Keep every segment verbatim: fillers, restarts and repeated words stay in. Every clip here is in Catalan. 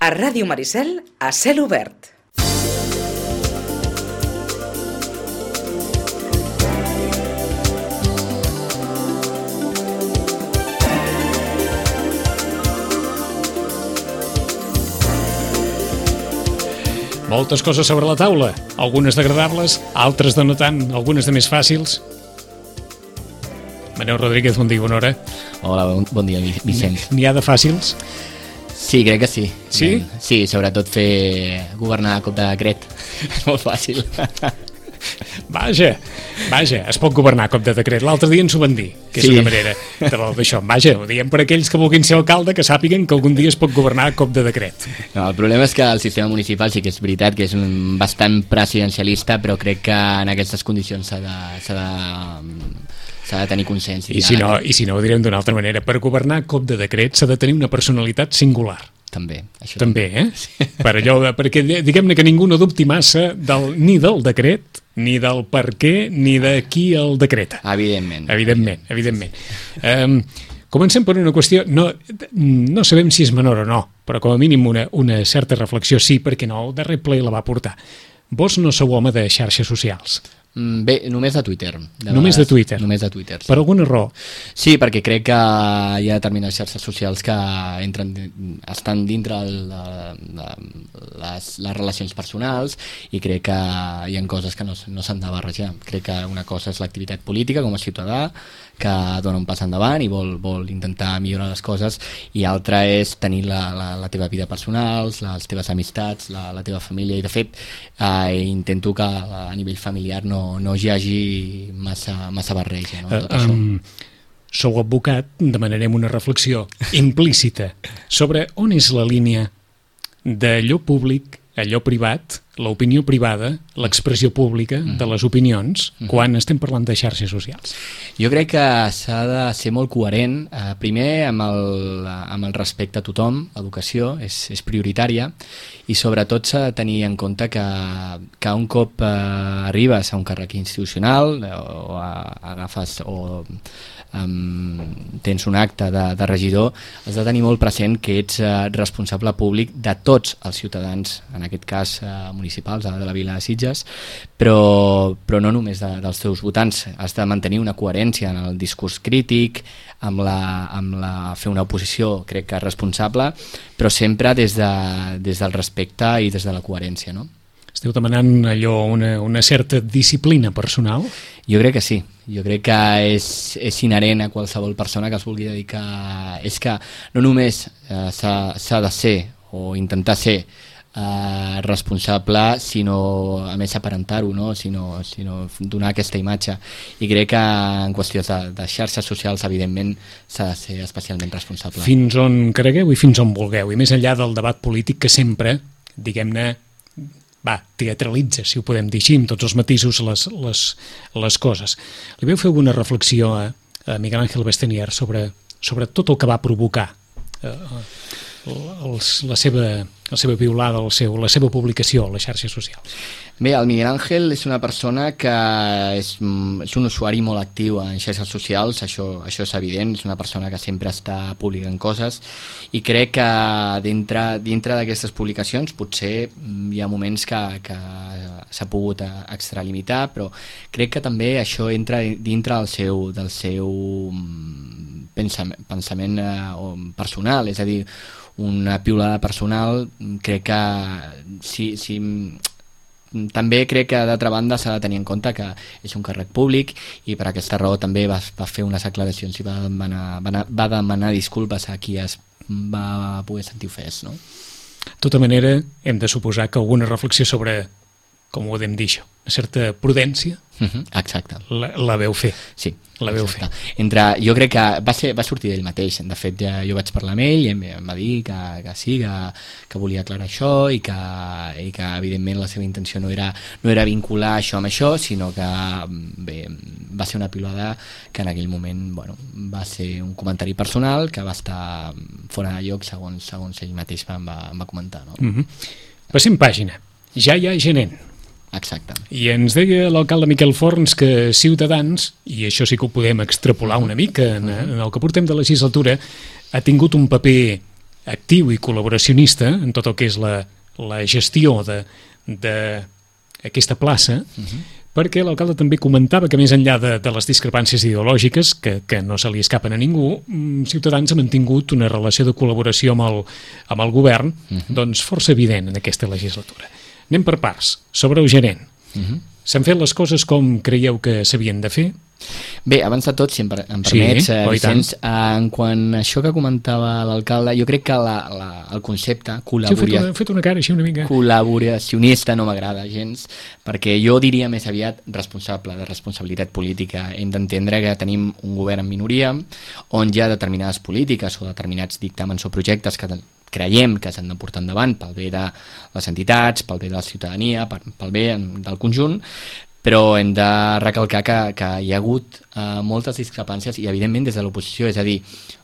A Ràdio Maricel, a cel obert. Moltes coses sobre la taula, algunes degradables, altres de no tant, algunes de més fàcils. Manel Rodríguez, bon dia, bona hora. Hola, bon, bon dia, Vicent. N'hi ha de fàcils? Sí, crec que sí. Sí? Sí, sobretot fer governar a cop de decret. És molt fàcil. Vaja, vaja, es pot governar a cop de decret. L'altre dia ens ho van dir, que és Sí. una manera d'això. Vaja, ho diem per aquells que vulguin ser alcalde, que sàpiguen que algun dia es pot governar a cop de decret. No, el problema és que el sistema municipal sí que és veritat que és un bastant presidencialista, però crec que en aquestes condicions s'ha de, s'ha de, s'ha de tenir consens. I si no, i si no ho direm d'una altra manera, per governar a cop de decret s'ha de tenir una personalitat singular. També. Això També, eh? Per allò de, perquè diguem-ne que ningú no dubti massa del, ni del decret, ni del per què, ni de qui el decreta. Evidentment. Evidentment, evidentment. Um, comencem per una qüestió, no, no sabem si és menor o no, però com a mínim una, una certa reflexió sí, perquè no, el darrer ple la va portar. Vos no sou home de xarxes socials. Bé, només de Twitter. De només vegades, de Twitter? Només de Twitter, sí. Per alguna raó? Sí, perquè crec que hi ha determinades xarxes socials que entren, estan dintre el, de, de les, les relacions personals i crec que hi ha coses que no, no s'han de barrejar. Crec que una cosa és l'activitat política com a ciutadà, que dona un pas endavant i vol, vol intentar millorar les coses, i altra és tenir la, la, la teva vida personal, les teves amistats, la, la teva família, i de fet eh, intento que a nivell familiar no, no hi hagi massa, massa barreja, no? Tot Uh, això. um, sou advocat, demanarem una reflexió implícita sobre on és la línia d'allò públic, allò privat, l'opinió privada, l'expressió pública de les opinions, quan estem parlant de xarxes socials. Jo crec que s'ha de ser molt coherent, eh, primer amb el, amb el respecte a tothom, l'educació és, és prioritària, i sobretot s'ha de tenir en compte que, que un cop eh, arribes a un càrrec institucional eh, o a, agafes o um, tens un acte de, de regidor, has de tenir molt present que ets eh, responsable públic de tots els ciutadans, en aquest cas eh, municipals de la vila de Sitges, però, però no només de, dels teus votants. Has de mantenir una coherència en el discurs crític, amb la, amb la, fer una oposició, crec que responsable, però sempre des, de, des del respecte i des de la coherència, no? Esteu demanant allò, una, una certa disciplina personal? Jo crec que sí. Jo crec que és, és inherent a qualsevol persona que es vulgui dedicar. És que no només eh, s'ha de ser o intentar ser Uh, responsable, sinó a més aparentar-ho, no? sinó, sinó donar aquesta imatge, i crec que en qüestions de, de xarxes socials evidentment s'ha de ser especialment responsable. Fins on cregueu i fins on vulgueu, i més enllà del debat polític que sempre, diguem-ne, va, teatralitza, si ho podem dir així, amb tots els matisos, les, les, les coses. Li vau fer alguna reflexió a, a Miguel Ángel Bestenier sobre, sobre tot el que va provocar eh, els, la seva la seva piulada, el seu, la seva publicació a les xarxes socials? Bé, el Miguel Ángel és una persona que és, és un usuari molt actiu en xarxes socials, això, això és evident, és una persona que sempre està publicant coses, i crec que dintre, dintre d'aquestes publicacions potser hi ha moments que, que s'ha pogut extralimitar, però crec que també això entra dintre del seu, del seu pensament, pensament personal, és a dir, una piulada personal. Crec que si, si, també crec que d'altra banda s'ha de tenir en compte que és un càrrec públic, i per aquesta raó també va, va fer unes aclaracions i va demanar, va, va demanar disculpes a qui es va poder sentir ofès, no? De tota manera, hem de suposar que alguna reflexió sobre, com ho podem dir això, una certa prudència, uh-huh, exacte, la, la veu fer. Sí, la veu exacte. fer. Entre, jo crec que va, ser, va sortir d'ell mateix. De fet, ja, jo vaig parlar amb ell i em, em va dir que, que sí, que, que volia aclarar això, i que, i que evidentment la seva intenció no era, no era vincular això amb això, sinó que bé, va ser una pilota que en aquell moment, bueno, va ser un comentari personal que va estar fora de lloc segons, segons ell mateix em va, em va comentar, no? Mm-hmm. Passem pàgina. Ja hi ha gerent. Exacte. I ens deia l'alcalde Miquel Forns que Ciutadans, i això sí que ho podem extrapolar una mica en, en el que portem de legislatura, ha tingut un paper actiu i col·laboracionista en tot el que és la, la gestió d'aquesta plaça, uh-huh. perquè l'alcalde també comentava que més enllà de, de les discrepàncies ideològiques, que, que no se li escapen a ningú, Ciutadans ha mantingut una relació de col·laboració amb el, amb el govern uh-huh. doncs força evident en aquesta legislatura. Anem per parts. Sobre el gerent. Uh-huh. S'han fet les coses com creieu que s'havien de fer? Bé, abans de tot, si em, per, em permets, sí, eh, Vicenç, eh, en quant a això que comentava l'alcalde, jo crec que la, la, el concepte col·laboria... Sí, he fet una cara així una mica... col·laboracionista no m'agrada gens, perquè jo diria més aviat responsable, de responsabilitat política. Hem d'entendre que tenim un govern en minoria, on hi ha determinades polítiques o determinats dictàmens o projectes que creiem que s'han de portar endavant pel bé de les entitats, pel bé de la ciutadania, pel bé del conjunt, però hem de recalcar que, que hi ha hagut eh, moltes discrepàncies i evidentment des de l'oposició, és a dir,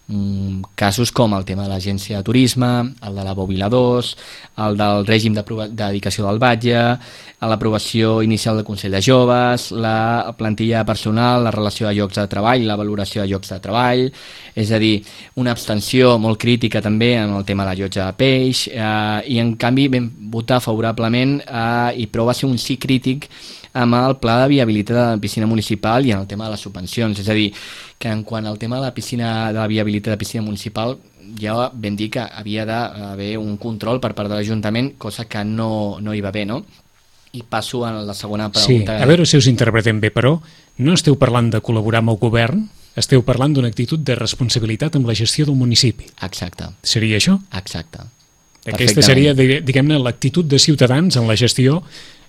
mm, casos com el tema de l'agència de turisme, el de la Bòbila dos, el del règim de dedicació del batlle, l'aprovació inicial del Consell de Joves, la plantilla personal, la relació de llocs de treball, la valoració de llocs de treball, és a dir, una abstenció molt crítica també en el tema de la llotja de peix, eh, i en canvi vam votar favorablement eh, i però va ser un sí crític amb el pla de viabilitat de la piscina municipal i en el tema de les subvencions. És a dir, que en quant al tema de la piscina de la viabilitat de la piscina municipal ja vam dir que havia d'haver un control per part de l'Ajuntament, cosa que no, no hi va haver, no? I passo a la segona pregunta. Sí, a veure si us interpretem bé, però no esteu parlant de col·laborar amb el govern, esteu parlant d'una actitud de responsabilitat amb la gestió del municipi. Exacte. Seria això? Exacte. Aquesta seria, diguem-ne, l'actitud de Ciutadans en la gestió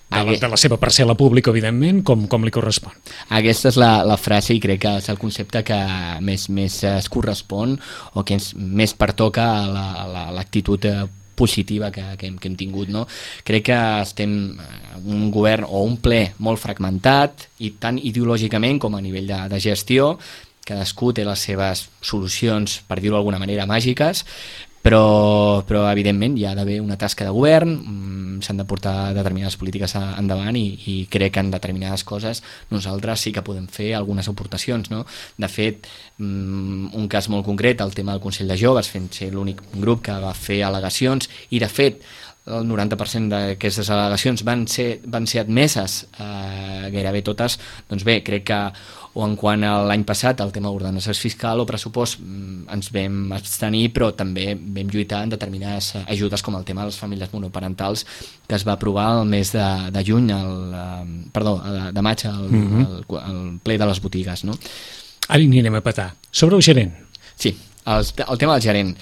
de la, de la seva parcel·la pública, evidentment, com, com li correspon. Aquesta és la, la frase i crec que és el concepte que més, més es correspon o que ens, més pertoca a la, a l'actitud positiva que, que, hem, que hem tingut, no? Crec que estem un govern o un ple molt fragmentat i tant ideològicament com a nivell de, de gestió. Cadascú té les seves solucions, per dir-ho d'alguna manera, màgiques, però, però evidentment hi ha d'haver una tasca de govern, s'han de portar determinades polítiques endavant i, i crec que en determinades coses nosaltres sí que podem fer algunes aportacions, no? De fet, un cas molt concret, el tema del Consell de Joves, fent ser l'únic grup que va fer al·legacions i de fet el noranta per cent d'aquestes al·legacions van ser, van ser admeses, eh, gairebé totes, doncs bé, crec que o en quant a l'any passat el tema d'ordenació fiscal o pressupost ens vam abstenir, però també vam lluitar en determinades ajudes com el tema de les famílies monoparentals que es va aprovar el mes de, de juny el, perdó, de maig al, mm-hmm. al, al ple de les botigues, no? Ara hi anirem a petar. Sobre el gerent. Sí, el, el tema del gerent.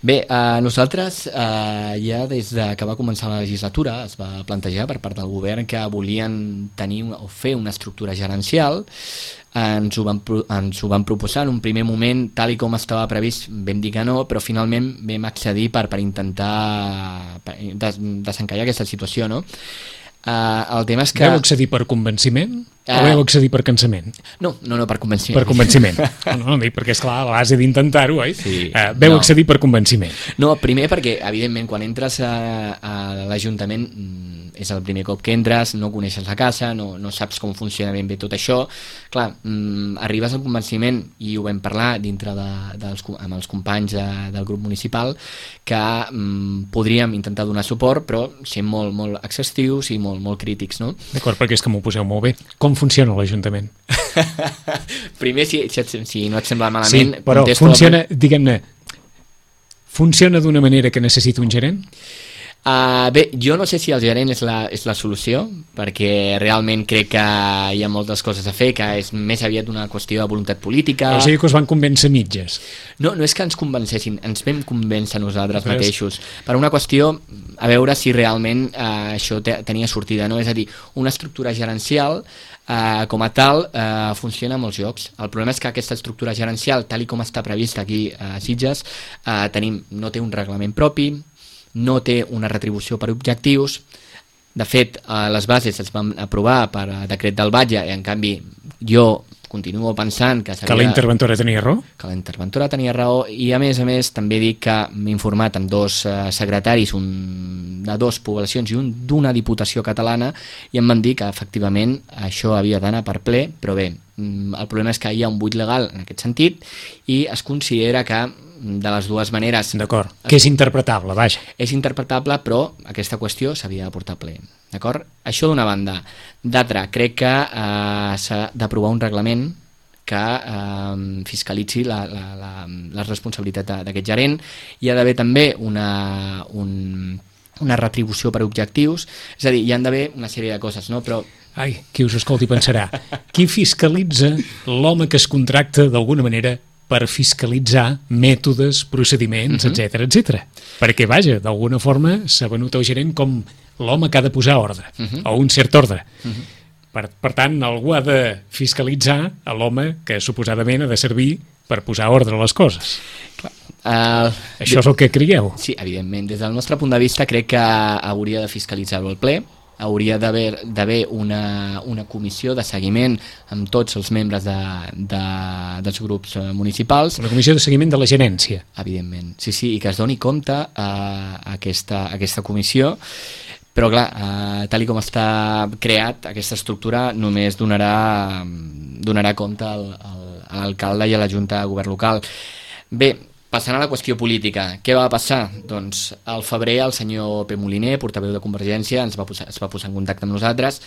Bé, eh, nosaltres eh, ja des de que va començar la legislatura es va plantejar per part del govern que volien tenir o fer una estructura gerencial. Ens ho, van, ens ho van proposar en un primer moment, tal i com estava previst vam dir que no, però finalment vam accedir per, per intentar per des, desencallar aquesta situació, no? Uh, el tema és que... Vau accedir per convenciment uh, o vau accedir per cansament? No, no, no, per convenciment. Per convenciment. No, no, dic, perquè esclar, a base d'intentar-ho, oi? Sí, uh, vau no. accedir per convenciment. No, primer perquè, evidentment, quan entres a, a l'Ajuntament és el primer cop que entres, no coneixes la casa, no, no saps com funciona ben bé tot això. Clar, mm, arribes al convenciment, i ho vam parlar dintre de, dels, amb els companys de, del grup municipal, que mm, podríem intentar donar suport, però sent molt, molt exhaustius i molt, molt crítics, no? D'acord, perquè és que m'ho poseu molt bé. Com funciona l'Ajuntament? Primer, si, si, si no et sembla malament... Sí, però funciona, la... diguem-ne, funciona d'una manera que necessita un gerent? Uh, bé, jo no sé si el gerent és la, és la solució, perquè realment crec que hi ha moltes coses a fer, que és més aviat una qüestió de voluntat política. O sigui que us van convèncer mitges. No, no és que ens convencessin, ens vam convèncer nosaltres Res. mateixos, per una qüestió a veure si realment uh, això te, tenia sortida, no? És a dir, una estructura gerencial uh, com a tal uh, funciona a molts llocs. El problema és que aquesta estructura gerencial, tal i com està prevista aquí a Sitges, uh, tenim, no té un reglament propi, no té una retribució per objectius. De fet, les bases es van aprovar per decret del batlle i en canvi jo continuo pensant que... Que la interventora tenia raó? Que la interventora tenia raó i a més a més també dic que m'he informat amb dos secretaris, un de dues poblacions i un d'una diputació catalana, i em van dir que efectivament això havia d'anar per ple, però bé, el problema és que hi ha un buit legal en aquest sentit i es considera que de les dues maneres. D'acord, que és interpretable, vaja. És interpretable, però aquesta qüestió s'havia de portar a ple. D'acord? Això d'una banda. D'altra, crec que eh, s'ha d'aprovar un reglament que eh, fiscalitzi la, la, la, la responsabilitat d'aquest gerent. Hi ha d'haver també una, un, una retribució per objectius, és a dir, hi ha d'haver una sèrie de coses, no? Però ai, qui us escolti pensarà, qui fiscalitza l'home que es contracta d'alguna manera per fiscalitzar mètodes, procediments, Mhm. etcètera, etcètera. Perquè, vaja, d'alguna forma s'ha venut al gerent com l'home que ha de posar ordre, Mhm. o un cert ordre. Per, per tant, algú ha de fiscalitzar a l'home que suposadament ha de servir per posar ordre a les coses. eh, Això és el que creieu. sí, evidentment, des del nostre punt de vista crec que hauria de fiscalitzar-ho al ple, hauria d'haver d'haver una, una comissió de seguiment amb tots els membres de, de, dels grups eh, municipals, Una comissió de seguiment de la gerència. evidentment, sí, sí, i que es doni compte a aquesta, a aquesta comissió, però clar, eh, tal i com està creat, aquesta estructura només donarà, donarà compte al, al, a l'alcalde i a la Junta de Govern Local. Bé, passant a la qüestió política, què va passar? Doncs al febrer el senyor P. Moliner, portaveu de Convergència, ens va posar, es va posar en contacte amb nosaltres.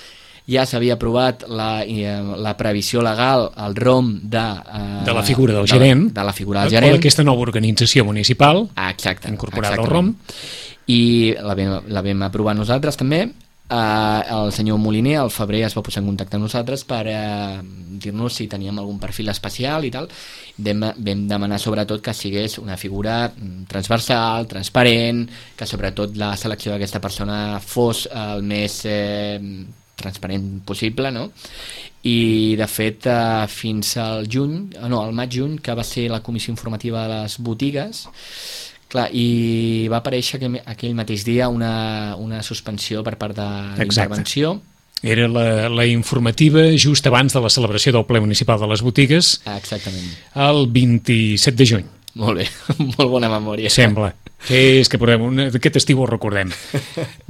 Ja s'havia aprovat la, eh, la previsió legal, el R O M de, eh, De la figura del de, gerent. de la figura del O gerent. d'aquesta nova organització municipal, Ah, exacte. incorporada al exactament. R O M. I la vam, la vam aprovar nosaltres també. Uh, el senyor Moliner al febrer es va posar en contacte amb nosaltres per uh, dir-nos si teníem algun perfil especial i tal. Vam, vam demanar sobretot que sigués una figura mm, transversal, transparent, que sobretot la selecció d'aquesta persona fos el més eh, transparent possible, no? I de fet uh, fins al juny, no, al maig-juny, que va ser la comissió informativa de les botigues. Clar, i va aparèixer aquell, aquell mateix dia una, una suspensió per part de l'intervenció. Era la, la informativa just abans de la celebració del ple municipal de les botigues, Exactament. el vint-i-set de juny, Molt bé, molt bona memòria. sembla. És que portem una, aquest estiu ho recordem.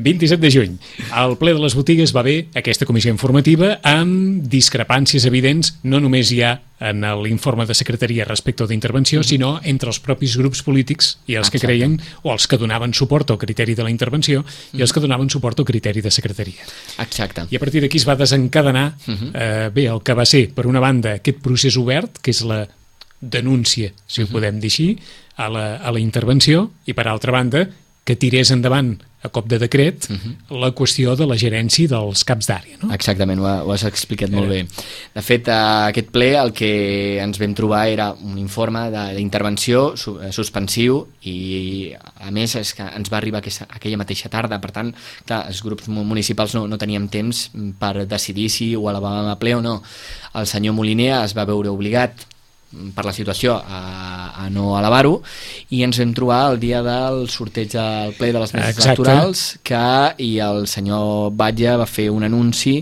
vint-i-set de juny. Al ple de les botigues va haver aquesta comissió informativa amb discrepàncies evidents, no només hi ha en l'informe de secretaria respecte d'intervenció, mm-hmm. sinó entre els propis grups polítics i els que Exacte. creien, o els que donaven suport al criteri de la intervenció mm-hmm. i els que donaven suport al criteri de secretaria. Exacte. I a partir d'aquí es va desencadenar Mhm. eh, bé, el que va ser, per una banda, aquest procés obert, que és la denúncia, si ho podem dir així, a la, a la intervenció, i per altra banda, que tirés endavant a cop de decret la qüestió de la gerència dels caps d'àrea. No? Exactament, ho, ha- ho has explicat molt bé. De fet, a aquest ple el que ens vam trobar era un informe de- d'intervenció su- eh, suspensiu i, a més, és que ens va arribar aquesta, aquella mateixa tarda. Per tant, clar, els grups mu- municipals no, no teníem temps per decidir si ho elevàvem a ple o no. El senyor Moliner es va veure obligat per la situació a, a no elevar-ho, i ens vam trobar el dia del sorteig del ple de les meses Exacte. electorals que, i el senyor Batlle va fer un anunci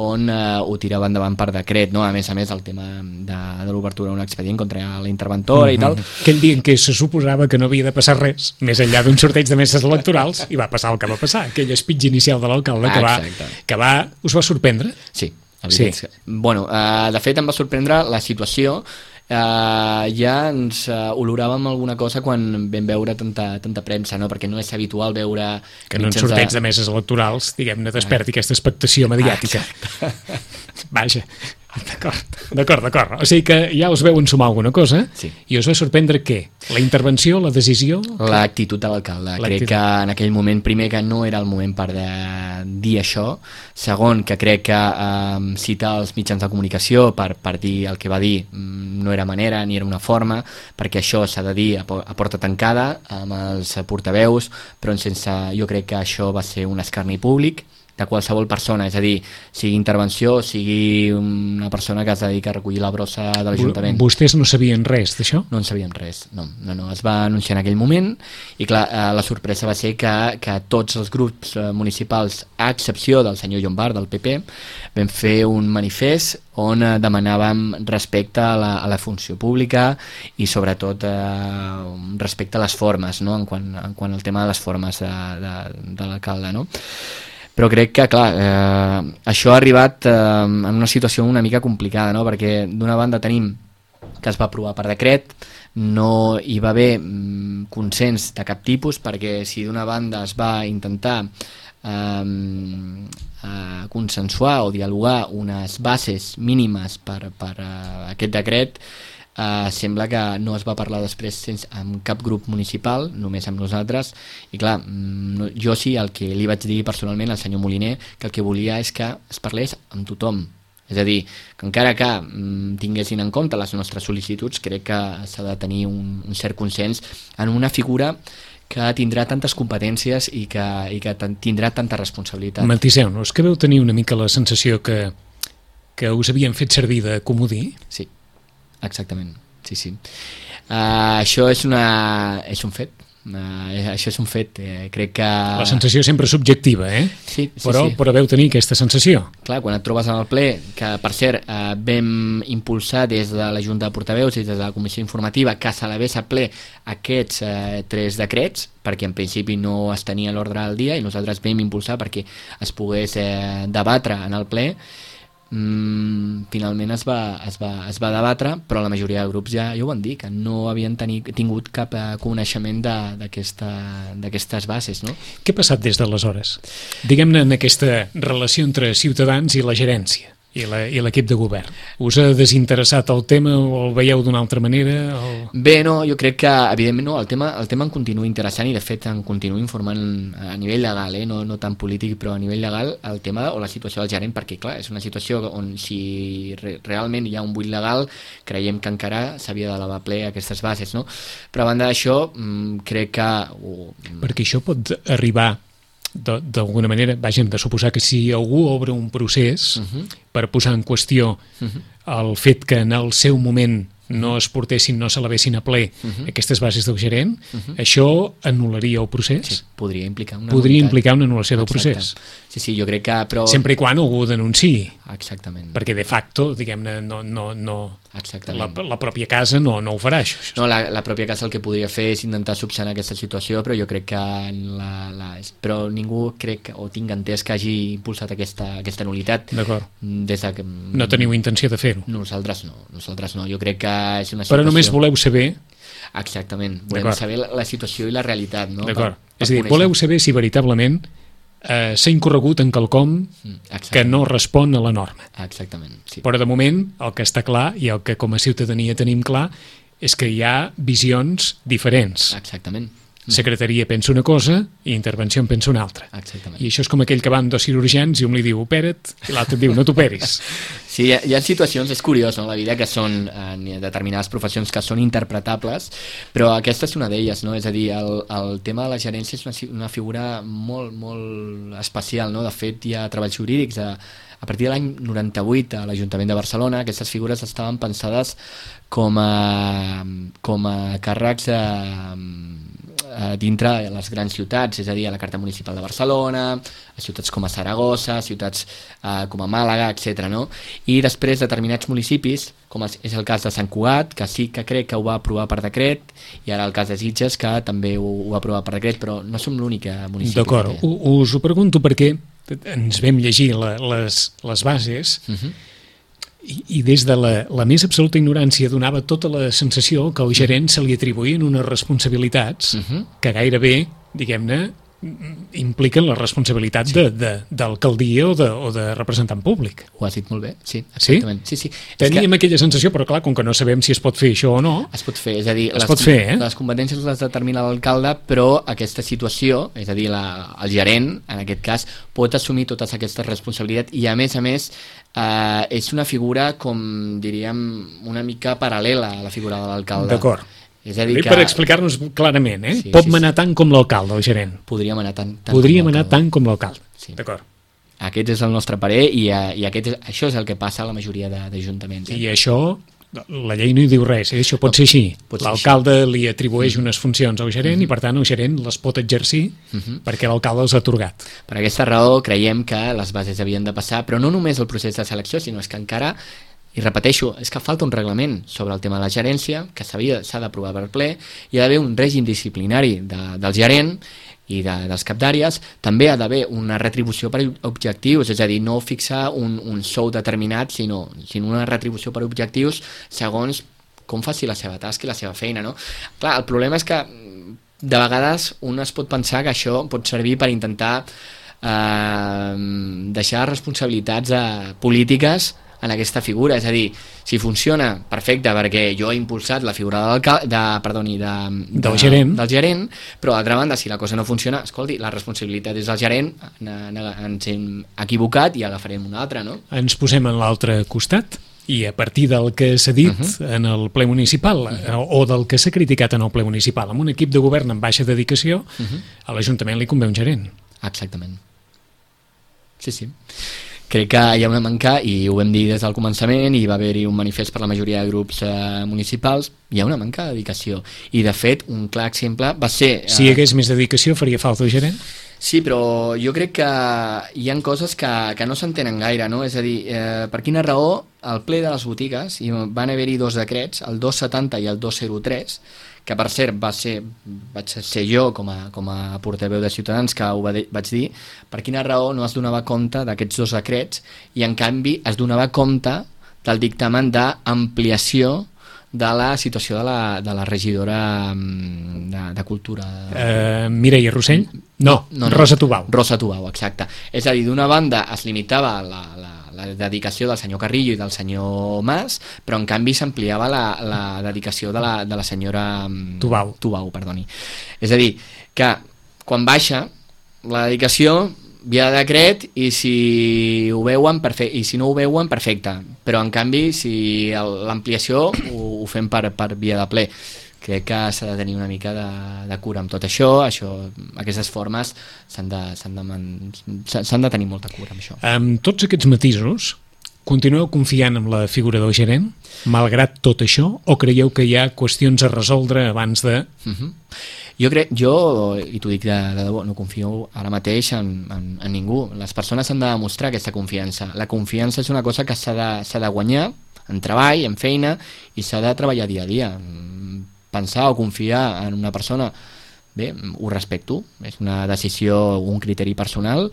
on eh, ho tirava endavant per decret, no? A més a més el tema de, de l'obertura d'un expedient contra la interventora i tal. Aquell dia en què se suposava que no havia de passar res, més enllà d'un sorteig de meses electorals, i va passar el que va passar, aquell speech inicial de l'alcalde que, va, Exacte. que va, us va sorprendre. Sí, la veritat Sí. és que- Bueno, eh, de fet em va sorprendre la situació. Uh, ja ens uh, oloràvem alguna cosa quan vam veure tanta, tanta premsa, no? Perquè no és habitual veure Que en un mitjans sorteig de meses electorals, diguem-ne, desperti aquesta expectació mediàtica. Vaja, d'acord, d'acord, d'acord. O sigui que ja us veuen sumar alguna cosa, Sí. i us va sorprendre què? La intervenció, la decisió? L'actitud de l'alcalde. Crec L'actitud. que en aquell moment, primer, que no era el moment per de dir això. Segon, que crec que eh, citar els mitjans de comunicació per, per dir el que va dir mm, no era manera ni era una forma, perquè això s'ha de dir a, po- a porta tancada amb els portaveus, però sense, jo crec que això va ser un escarni públic de qualsevol persona, és a dir, sigui intervenció, sigui una persona que es dedica a recollir la brossa de l'Ajuntament. Vostès no sabien res d'això? No en sabíem res, no, no, no, es va anunciar en aquell moment i clar, eh, la sorpresa va ser que, que tots els grups eh, municipals, a excepció del senyor Llombard, del P P, vam fer un manifest on eh, demanàvem respecte a la, a la funció pública i sobretot eh, respecte a les formes, no? en, quant, en quant al tema de les formes de, de, de l'alcalde, no? Però crec que, clar, eh, això ha arribat eh, en una situació una mica complicada, no? Perquè d'una banda tenim que es va aprovar per decret, no hi va haver mm, consens de cap tipus, perquè si d'una banda es va intentar eh, eh, consensuar o dialogar unes bases mínimes per, per uh, aquest decret, Uh, sembla que no es va parlar després sense, amb cap grup municipal, només amb nosaltres, i clar, no, jo sí, el que li vaig dir personalment al senyor Moliner, que el que volia és que es parlés amb tothom, és a dir, que encara que mm, tinguessin en compte les nostres sol·licituds, crec que s'ha de tenir un, un cert consens en una figura que tindrà tantes competències i que, i que tindrà tanta responsabilitat. Matiseu-nos, que veu tenir una mica la sensació que, que us havien fet servir de comodí? Sí. Exactament, sí, sí. Uh, això és, una, és un fet, uh, això és un fet, eh, crec que... La sensació sempre subjectiva, eh? Sí, sí, però, sí. Però veu tenir aquesta sensació. Clar, quan et trobes en el ple, que per cert uh, vam impulsar des de la Junta de Portaveus i des de la Comissió Informativa que s'elevés a ple aquests uh, tres decrets, perquè en principi no es tenia l'ordre del dia, i nosaltres vam impulsar perquè es pogués eh, debatre en el ple. Mm, finalment es va, es, va, es va debatre, però la majoria de grups ja, ja ho van dir, que no havien teni, tingut cap eh, coneixement d'aquestes bases, no? Què ha passat des d'aleshores? Diguem-ne en aquesta relació entre ciutadans i la gerència i l'equip de govern. Us ha desinteressat el tema o el veieu d'una altra manera? O... Bé, no, jo crec que evidentment no, el tema, el tema em continua interessant i de fet em continuo informant a nivell legal, eh? no, no tan polític, però a nivell legal el tema o la situació del gerent, perquè clar, és una situació on si re, realment hi ha un buit legal, creiem que encara s'havia d'elevar ple aquestes bases, no? Però a banda d'això, crec que... Oh, perquè això pot arribar d'alguna manera, vaja, hem de suposar que si algú obre un procés uh-huh. per posar en qüestió uh-huh. el fet que en el seu moment no es portessin, no s'elevessin a ple uh-huh. aquestes bases del gerent, uh-huh. això anul·laria el procés? Sí, podria implicar una podria unitat. implicar una anul·lació del Exacte. procés. Sí, sí, jo crec que... Però... Sempre i quan algú denunciï. Exactament. Perquè de facto, diguem-ne, no, no, no, la, la la pròpia casa no, no ho farà, això. No, la, la pròpia casa el que podria fer és intentar subsanar aquesta situació, però jo crec que la, la, però ningú crec o tinc entès que hagi impulsat aquesta, aquesta nul·litat. D'acord. Des de que... No teniu intenció de fer-ho? Nosaltres no, nosaltres no. Jo crec que és una situació... Però només voleu saber... Exactament, volem saber la, la situació i la realitat, no? D'acord. És a dir, voleu saber si veritablement eh, s'ha incorregut en quelcom mm, que no respon a la norma. Exactament, sí. Però de moment el que està clar i el que com a ciutadania tenim clar és que hi ha visions diferents. Exactament. Secretaria pensa una cosa i intervenció en pensa una altra. Exactament. I això és com aquell que van dos cirurgians i un li diu opera't i l'altre et diu no t'operis. Sí, hi ha, hi ha situacions, és curiós, no?, la vida, que són eh, determinades professions que són interpretables, però aquesta és una d'elles, no? És a dir, el, el tema de la gerència és una, una figura molt, molt especial, no? De fet, hi ha treballs jurídics a, a partir de l'any noranta-vuit a l'Ajuntament de Barcelona. Aquestes figures estaven pensades com a, com a càrrecs a, a dintre de les grans ciutats, és a dir, a la Carta Municipal de Barcelona, a ciutats com a Saragossa, a ciutats eh, com a Màlaga, etcètera, no? I després determinats municipis, com és el cas de Sant Cugat, que sí que crec que ho va aprovar per decret, i ara el cas de Sitges, que també ho, ho va aprovar per decret, però no som l'únic municipi. D'acord, us ho pregunto perquè ens vam llegir la, les, les bases uh-huh. i, i des de la, la més absoluta ignorància donava tota la sensació que al gerent se li atribuïen unes responsabilitats uh-huh. que gairebé, diguem-ne, impliquen la responsabilitat sí. de, de, d'alcaldia o de, o de representant públic. Ho has dit molt bé, sí, exactament. Sí? Sí, sí. Teníem que... aquella sensació, però clar, com que no sabem si es pot fer això o no... Es pot fer, és a dir, les, pot fer, eh? les competències les determina l'alcalde, però aquesta situació, és a dir, la, el gerent, en aquest cas, pot assumir totes aquestes responsabilitats i, a més a més, eh, és una figura, com diríem, una mica paral·lela a la figura de l'alcalde. D'acord. És a dir que... Per explicar-nos clarament, eh? Sí, pot sí, manar sí. tant com l'alcalde, el gerent. Podríem anar tant, tant Podríem anar tant com l'alcalde. Sí. D'acord. Aquest és el nostre parer i, i aquest és, això és el que passa a la majoria d'ajuntaments. Eh? I això, la llei no hi diu res, eh? Això pot no, ser així. Pot ser l'alcalde així. Li atribueix mm. unes funcions al gerent mm. i per tant el gerent les pot exercir mm-hmm. perquè l'alcalde els ha atorgat. Per aquesta raó creiem que les bases havien de passar, però no només el procés de selecció, sinó és que encara... I repeteixo, és que falta un reglament sobre el tema de la gerència, que s'ha d'aprovar per ple, hi ha d'haver un règim disciplinari de, del gerent i de, dels cap d'àrees, també ha d'haver una retribució per objectius, és a dir, no fixar un, un sou determinat, sinó, sinó una retribució per objectius segons com faci la seva tasca i la seva feina, no? Clar, el problema és que de vegades un es pot pensar que això pot servir per intentar eh, deixar responsabilitats eh, polítiques en aquesta figura, és a dir, si funciona, perfecte, perquè jo he impulsat la figura de, perdoni, de, de, del, gerent. del gerent, però d'altra banda, si la cosa no funciona, escolti, la responsabilitat és del gerent, ens hem equivocat i agafarem una altra, no? Ens posem en l'altre costat i a partir del que s'ha dit uh -huh. en el ple municipal uh -huh. o del que s'ha criticat en el ple municipal, amb un equip de govern amb baixa dedicació, uh -huh. a l'Ajuntament li convé un gerent. Exactament. Sí, sí. Crec que hi ha una manca, i ho vam dir des del començament, i va haver-hi un manifest per la majoria de grups eh, municipals, hi ha una manca de dedicació. I, de fet, un clar exemple va ser... Eh... Si hi hagués més dedicació, faria falta un gerent? Sí, però jo crec que hi ha coses que, que no s'entenen gaire, no? És a dir, eh, per quina raó al ple de les botigues i van haver-hi dos decrets, el dos setanta i el dos zero tres, que per cert va ser, vaig ser jo com a, com a portaveu de Ciutadans que ho vaig dir, per quina raó no es donava compte d'aquests dos decrets i en canvi es donava compte del dictamen d'ampliació de la situació de la, de la regidora de, de Cultura. Uh, Mireia Rossell? No, no, no, Rosa Tubau. Rosa Tubau, exacte. És a dir, d'una banda es limitava la, la, la dedicació del senyor Carrillo i del senyor Mas, però en canvi s'ampliava la, la dedicació de la, de la senyora Tubau. Tubau, perdoni. És a dir, que quan baixa la dedicació via de decret i si ho veuen perfecte, i si no ho veuen perfecte, però en canvi si l'ampliació ho, ho fem per, per via de ple. Crec que s'ha de tenir una mica de, de cura amb tot això, això aquestes formes s'han de, s'han de, s'han de tenir molta cura amb això. Amb tots aquests matisos, continueu confiant en la figura del gerent, malgrat tot això, o creieu que hi ha qüestions a resoldre abans de... Uh-huh. Jo crec, jo, i t'ho dic de, de debò, no confio ara mateix en, en, en ningú. Les persones han de demostrar aquesta confiança. La confiança és una cosa que s'ha de, s'ha de guanyar en treball, en feina, i s'ha de treballar dia a dia. Pensar o confiar en una persona, bé, ho respecto, és una decisió, un criteri personal,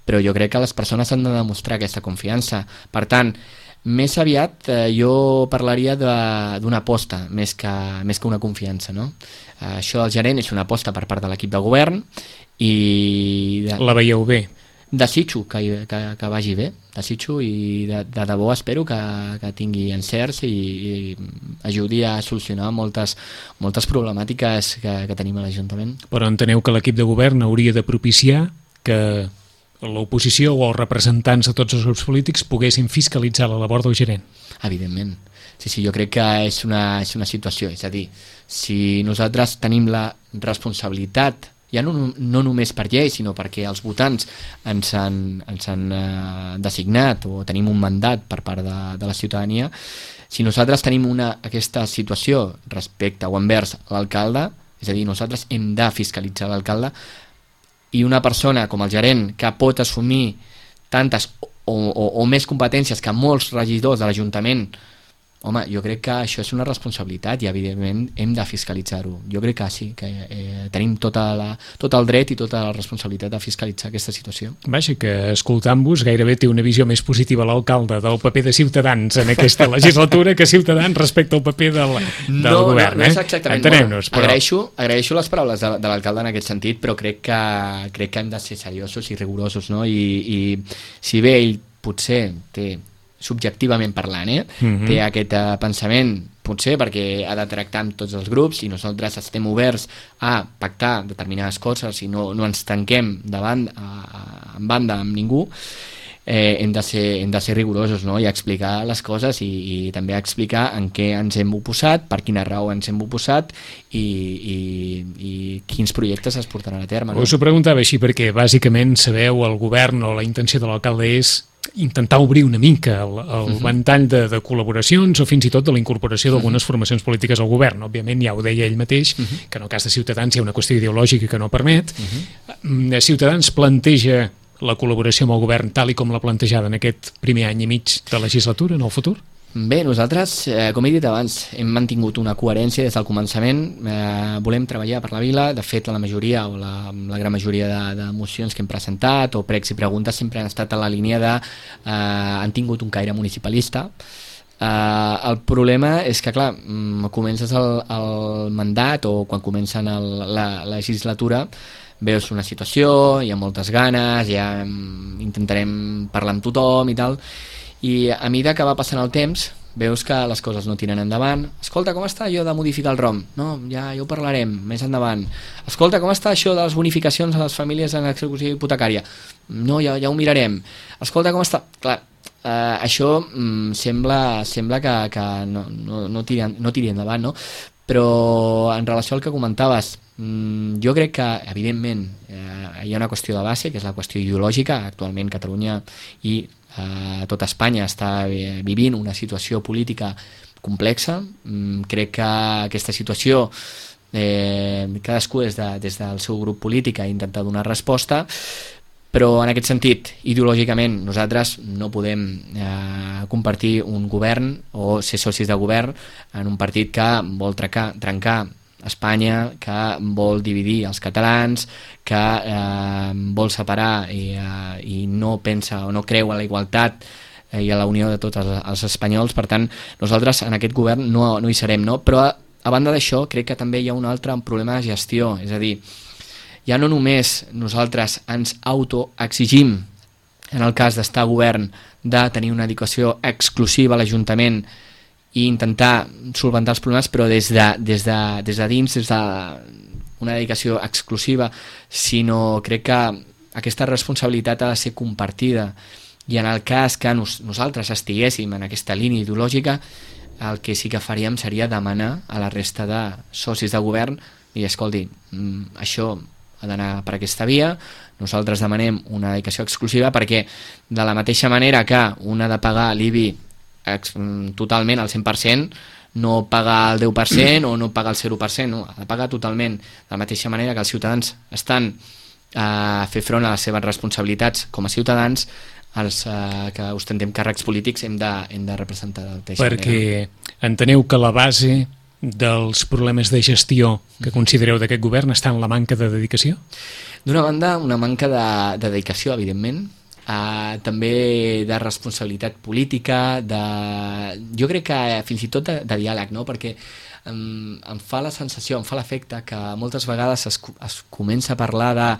però jo crec que les persones han de demostrar aquesta confiança. Per tant, més aviat eh, jo parlaria d'una aposta més que, més que una confiança, no? Eh, això del gerent és una aposta per part de l'equip de govern i... De, la veieu bé? Desitjo que, que, que vagi bé, desitjo i de, de debò espero que, que tingui encerts i, i ajudi a solucionar moltes, moltes problemàtiques que, que tenim a l'Ajuntament. Però enteneu que l'equip de govern hauria de propiciar que l'oposició o els representants de tots els grups polítics poguessin fiscalitzar la labor del gerent? Evidentment. Sí, sí, jo crec que és una, és una situació, és a dir, si nosaltres tenim la responsabilitat, ja no, no només per llei, sinó perquè els votants ens han, ens han eh, designat o tenim un mandat per part de, de la ciutadania, si nosaltres tenim una, aquesta situació respecte o envers l'alcalde, és a dir, nosaltres hem de fiscalitzar l'alcalde, i una persona com el gerent que pot assumir tantes o, o, o més competències que molts regidors de l'Ajuntament, home, jo crec que això és una responsabilitat i evidentment hem de fiscalitzar-ho. Jo crec que sí, que eh, tenim tota la, tot el dret i tota la responsabilitat de fiscalitzar aquesta situació. Vaja, que escoltant-vos gairebé té una visió més positiva l'alcalde del paper de Ciutadans en aquesta legislatura que Ciutadans respecte al paper del, del no, govern. No, no és exactament. Eh? Entenem-nos, però... agraeixo, agraeixo les paraules de, de l'alcalde en aquest sentit, però crec que, crec que hem de ser seriosos i rigorosos, no? I, i si bé ell potser té subjectivament parlant, eh? Uh-huh. té aquest uh, pensament, potser perquè ha de tractar amb tots els grups i nosaltres estem oberts a pactar determinades coses i no, no ens tanquem davant, a, a, en banda amb ningú, eh, hem, de ser, hem de ser rigorosos, no? I explicar les coses i, i també explicar en què ens hem oposat, per quina raó ens hem oposat i, i, i quins projectes es portaran a terme. No? Us ho preguntava així perquè bàsicament sabeu el govern o la intenció de l'alcalde és intentar obrir una mica el, el uh-huh. ventall de, de col·laboracions o fins i tot de la incorporació d'algunes uh-huh. formacions polítiques al govern. Òbviament ja ho deia ell mateix, uh-huh. que en el cas de Ciutadans hi ha una qüestió ideològica que no permet. Uh-huh. Ciutadans planteja la col·laboració amb el govern tal i com l'ha plantejada en aquest primer any i mig de legislatura, en el futur? Bé, nosaltres, eh, com he dit abans, hem mantingut una coherència des del començament, eh, volem treballar per la vila, de fet la majoria o la, la gran majoria de, de mocions que hem presentat o pregs i preguntes sempre han estat a la línia de, eh, han tingut un caire municipalista, Uh, el problema és que, clar, mm, comences el, el mandat o quan comencen el, la, la legislatura veus una situació, hi ha moltes ganes, ja mm, intentarem parlar amb tothom i tal, i a mesura que va passant el temps veus que les coses no tiren endavant. Escolta, com està allò de modificar el ROM? No, ja, ja ho parlarem més endavant. Escolta, com està això de les bonificacions a les famílies en execució hipotecària? No, ja, ja ho mirarem. Escolta, com està... Clar, Uh, això mm, sembla, sembla que, que no, no, no, tiri, no tiri endavant, no? Però en relació al que comentaves, mm, jo crec que evidentment eh, hi ha una qüestió de base, que és la qüestió ideològica. Actualment Catalunya i eh, tot Espanya està vivint una situació política complexa. Mm, crec que aquesta situació eh, cadascú des, de, des del seu grup polític ha intentat donar resposta, però en aquest sentit, ideològicament, nosaltres no podem eh, compartir un govern o ser socis de govern en un partit que vol trencar, trencar Espanya, que vol dividir els catalans, que eh, vol separar i, eh, i no pensa o no creu en la igualtat eh, i a la unió de tots els, els espanyols. Per tant, nosaltres en aquest govern no, no hi serem, no? Però a, a banda d'això, crec que també hi ha un altre problema de gestió, és a dir, ja no només nosaltres ens autoexigim, en el cas d'estar a govern, de tenir una dedicació exclusiva a l'Ajuntament i intentar solventar els problemes, però des de, des de, des de dins, des d'una dedicació exclusiva, sinó crec que aquesta responsabilitat ha de ser compartida, i en el cas que nos, nosaltres estiguéssim en aquesta línia ideològica, el que sí que faríem seria demanar a la resta de socis de govern i escolti, això ha d'anar per aquesta via, nosaltres demanem una dedicació exclusiva perquè de la mateixa manera que un ha de pagar l'I B I totalment al cent per cent, no pagar el deu per cent o no pagar el zero per cent, no, ha de pagar totalment, de la mateixa manera que els ciutadans estan a fer front a les seves responsabilitats com a ciutadans, els eh, que ostentem càrrecs polítics hem de, hem de representar de la mateixa manera. Perquè enteneu que la base dels problemes de gestió que considereu d'aquest govern està en la manca de dedicació? D'una banda, una manca de, de dedicació, evidentment, uh, també de responsabilitat política, de, jo crec que fins i tot de, de diàleg, no? Perquè um, em fa la sensació, em fa l'efecte que moltes vegades es, es comença a parlar de,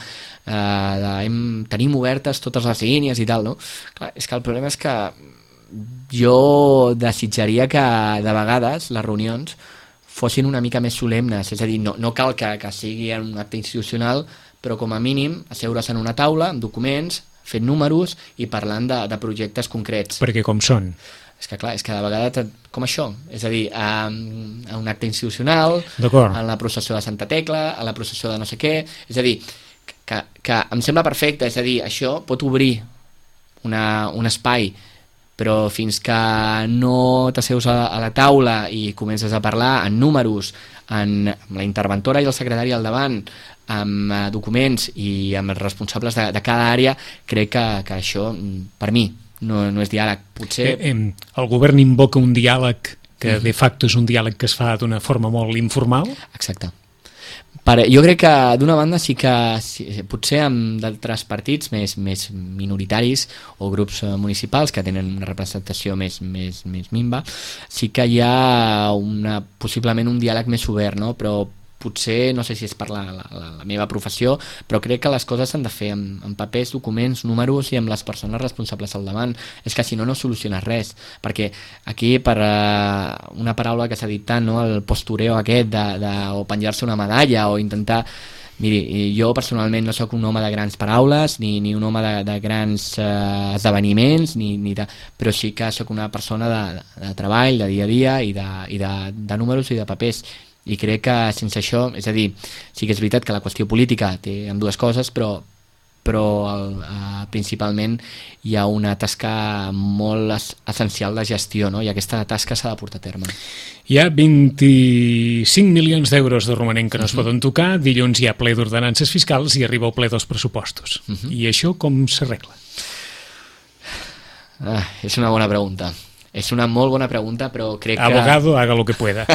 uh, de hem, tenim obertes totes les línies i tal, no? Clar, és que el problema és que jo desitjaria que de vegades les reunions fossin una mica més solemnes, és a dir, no, no cal que, que sigui un acte institucional, però com a mínim asseure's en una taula amb documents, fent números i parlant de, de projectes concrets. Perquè com són? És que clar, és que de vegades com això, és a dir, a, a un acte institucional, a la processó de Santa Tecla, a la processó de no sé què, és a dir, que, que em sembla perfecte, és a dir, això pot obrir una, un espai, però fins que no t'asseus a, a la taula i comences a parlar en números, en, amb la interventora i el secretari al davant, amb uh, documents i amb els responsables de, de cada àrea, crec que, que això, per mi, no, no és diàleg. Potser... Eh, eh, el govern invoca un diàleg que de facto és un diàleg que es fa d'una forma molt informal? Exacte. Per, jo crec que d'una banda sí que sí, potser amb d'altres partits més, més minoritaris o grups municipals que tenen una representació més, més, més minva, sí que hi ha una, possiblement un diàleg més obert, no? Però potser, no sé si és per la, la, la meva professió, però crec que les coses s'han de fer amb, amb papers, documents, números i amb les persones responsables al davant. És que si no, no soluciones res, perquè aquí per uh, una paraula que s'ha dit tant, no? El postureo aquest de, de, o penjar-se una medalla o intentar... Miri, jo personalment no sóc un home de grans paraules ni, ni un home de, de grans uh, esdeveniments, ni, ni de, però sí que sóc una persona de, de, de treball, de dia a dia i de, i de, de números i de papers. I crec que sense això, és a dir, sí que és veritat que la qüestió política té amb dues coses, però, però el, eh, principalment hi ha una tasca molt es, essencial de gestió, no? I aquesta tasca s'ha de portar a terme. Hi ha vint-i-cinc milions d'euros de romanent que no uh-huh. es poden tocar, dilluns hi ha ple d'ordenances fiscals i arriba el ple dels pressupostos. Uh-huh. I això com s'arregla? Ah, és una bona pregunta. És una molt bona pregunta, però crec que... Abogado, haga lo que pueda.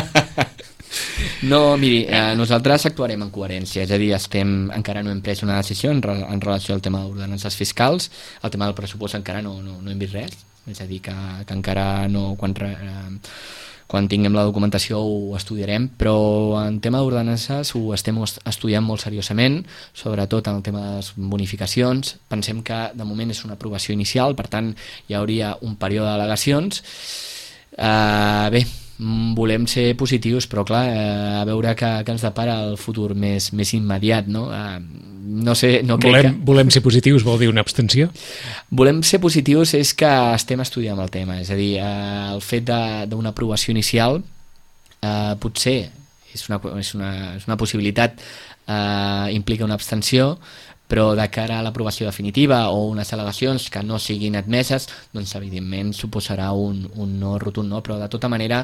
No, miri, eh, nosaltres actuarem en coherència, és a dir, estem, encara no hem pres una decisió en, re, en relació al tema d'ordenances fiscals, el tema del pressupost encara no, no, no hem vist res, és a dir, que, que encara no... Quan, eh, quan tinguem la documentació ho estudiarem, però en tema d'ordenances ho estem estudiant molt seriosament, sobretot en el tema de les bonificacions. Pensem que de moment és una aprovació inicial, per tant hi hauria un període d'al·legacions. Uh, bé, volem ser positius, però clar, uh, a veure què, què ens depara el futur més, més immediat, no? Uh, no sé, no crec volem, que... volem ser positius vol dir una abstenció? Volem ser positius és que estem estudiant el tema, és a dir, uh, el fet d'una aprovació inicial uh, potser és una, és una, és una possibilitat, uh, implica una abstenció, però de cara a l'aprovació definitiva o unes al·legacions que no siguin admeses, doncs evidentment suposarà un, un no rotund, no? Però de tota manera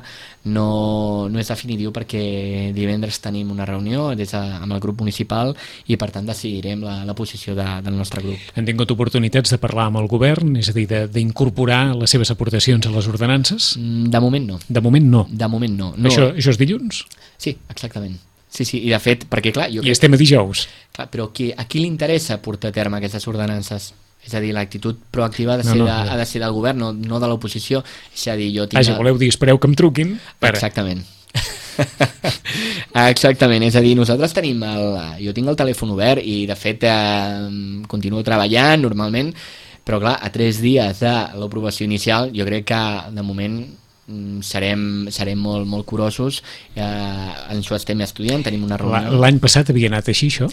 no, no és definitiu perquè divendres tenim una reunió des de, amb el grup municipal i per tant decidirem la, la posició de, del nostre grup. Han tingut oportunitats de parlar amb el govern, és a dir, d'incorporar les seves aportacions a les ordenances? De moment no. De moment no? De moment no. no. Això, això és dilluns? Sí, exactament. Sí, sí, i de fet, perquè clar... Jo I estem a dijous. Clar, però qui, a qui li interessa portar a terme aquestes ordenances? És a dir, l'actitud proactiva ha de ser, no, no, de, ha de ser del govern, no, no de l'oposició. És a dir, jo tinc... Ah, si voleu dir, espereu que em truquin. Per... Exactament. Exactament, és a dir, nosaltres tenim el... Jo tinc el telèfon obert i, de fet, eh, continuo treballant normalment, però clar, a tres dies de l'aprovació inicial, jo crec que, de moment... serem, serem molt, molt curosos, eh, en això estem estudiant, tenim una reunió. L'any passat havia anat així, això?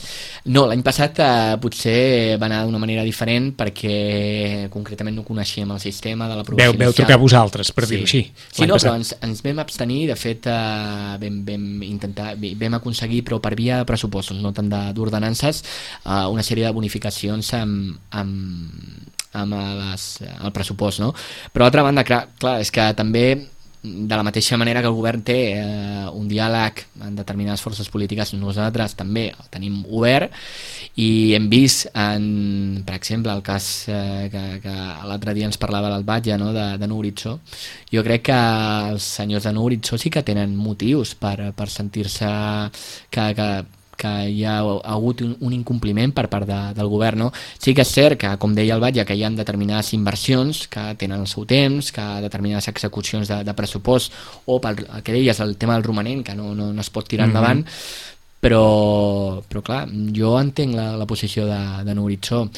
No, l'any passat eh, potser va anar d'una manera diferent perquè concretament no coneixíem el sistema de l'aprovació inicial. Veu trucar vosaltres, per sí. dir-ho així. Sí, no, però ens, ens vam abstenir, de fet eh, vam, vam intentar, vam aconseguir, però per via de pressupostos, no tant d'ordenances, eh, una sèrie de bonificacions amb, amb amb les, el pressupost, no? Però d'altra banda, clar, clar, és que també de la mateixa manera que el govern té eh, un diàleg en determinades forces polítiques, nosaltres també el tenim obert i hem vist, en, per exemple, el cas eh, que, que l'altre dia ens parlava l'Albatge, no? de, de Nou Horitzó. Jo crec que els senyors de Nou Horitzó sí que tenen motius per, per sentir-se que, que que hi ha hagut un, un incompliment per part de, del govern, no? Sí que és cert que, com deia el Batlle, que hi ha determinades inversions que tenen el seu temps, que determinades execucions de, de pressupost, o pel que deies, el tema del romanent, que no, no, no es pot tirar endavant, mm-hmm. però, però clar, jo entenc la, la posició de, de Nou Horitzó,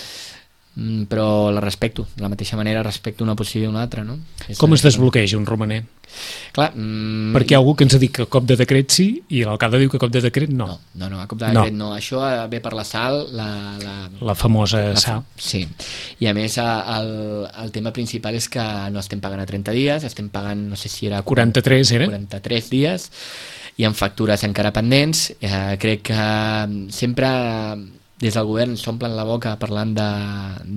però la respecto, de la mateixa manera respecto una posició i una altra, no? És Com es desbloqueja un romanent? Clar, mm, perquè hi ha algú que ens ha dit que a cop de decret sí i l'alcalde diu que a cop de decret no. No, no, no a cop de decret no. no. Això ve per la sal, la, la, la famosa la, sal. Sí, i a més el, el tema principal és que no estem pagant a trenta dies, estem pagant, no sé si era... quaranta-tres era? quaranta-tres dies, i amb factures encara pendents. Eh, crec que sempre des del govern s'omplen la boca parlant de,